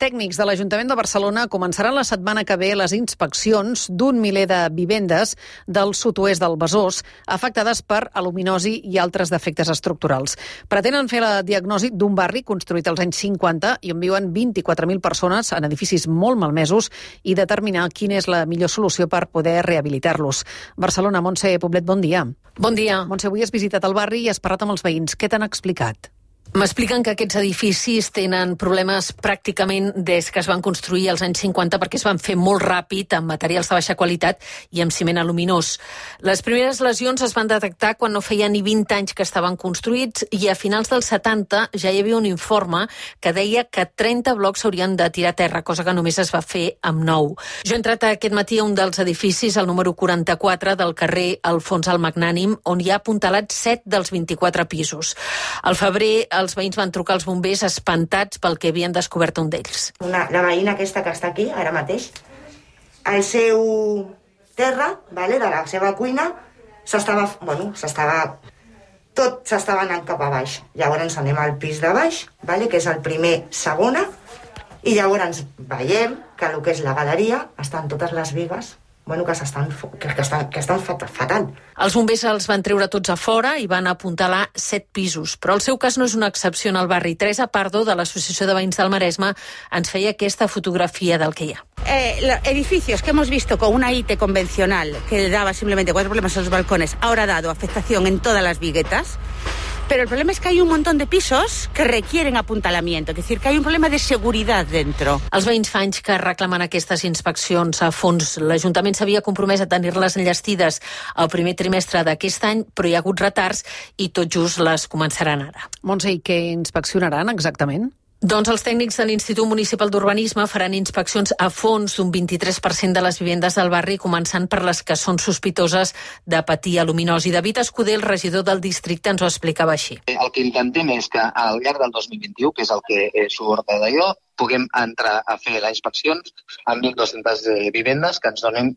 tècnics de l'Ajuntament de Barcelona començaran la setmana que ve les inspeccions d'un miler de vivendes del sud-oest del Besòs afectades per aluminosi i altres defectes estructurals. Pretenen fer la diagnosi d'un barri construït als anys 50 i on viuen 24.000 persones en edificis molt malmesos i determinar quina és la millor solució per poder rehabilitar-los. Barcelona, Montse Poblet, bon dia. Bon dia. Montse, avui has visitat el barri i has parlat amb els veïns. Què t'han explicat? M'expliquen que aquests edificis tenen problemes pràcticament des que es van construir als anys 50 perquè es van fer molt ràpid amb materials de baixa qualitat i amb ciment aluminós. Les primeres lesions es van detectar quan no feia ni 20 anys que estaven construïts i a finals dels 70 ja hi havia un informe que deia que 30 blocs s'haurien de tirar a terra, cosa que només es va fer amb 9. Jo he entrat aquest matí a un dels edificis, el número 44 del carrer Alfons el Magnànim, on hi ha apuntalats 7 dels 24 pisos. Al febrer els veïns van trucar als bombers espantats pel que havien descobert un d'ells. La veïna aquesta que està aquí, ara mateix, el seu terra, de la seva cuina, tot s'estava anant cap a baix. Llavors anem al pis de baix, que és el primer, segona, i llavors veiem que el que és la galeria estan totes les bigues que estan fatal. Els bombers els van treure tots a fora i van apuntalar 7 pisos. Però el seu cas no és una excepció en el barri. Teresa Pardo, de l'Associació de Veïns del Maresme, ens feia aquesta fotografia del que hi ha. Edificios que hemos visto con una IT convencional que daba simplemente 4 problemas en los balcones, ahora ha dado afectación en todas las viguetas. Pero el problema es que hay un montón de pisos que requieren apuntalamiento, es decir, que hay un problema de seguridad dentro. Els veïns fa anys que reclamen aquestes inspeccions a fons. L'Ajuntament s'havia compromès a tenir-les enllestides el primer trimestre d'aquest any, però hi ha hagut retards i tot just les començaran ara. Montse, i què inspeccionaran exactament? Doncs els tècnics de l'Institut Municipal d'Urbanisme faran inspeccions a fons d'un 23% de les vivendes del barri, començant per les que són sospitoses de patir aluminosi. David Escudé, el regidor del districte, ens ho explicava així. El que intentem és que al llarg del 2021, que és el que surt d'allò, puguem entrar a fer les inspeccions amb 1.200 vivendes que ens donen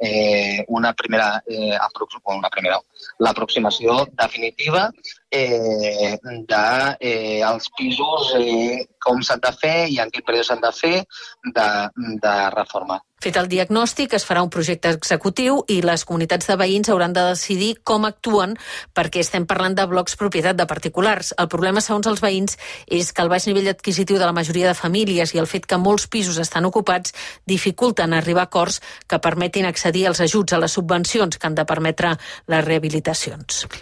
l'aproximació definitiva dels pisos, com s'han de fer i en quin període s'han de fer de reforma. Fet el diagnòstic, es farà un projecte executiu i les comunitats de veïns hauran de decidir com actuen perquè estem parlant de blocs propietat de particulars. El problema, segons els veïns, és que el baix nivell adquisitiu de la majoria de famílies i el fet que molts pisos estan ocupats dificulten arribar a acords que permetin accedir als ajuts, a les subvencions que han de permetre les rehabilitacions.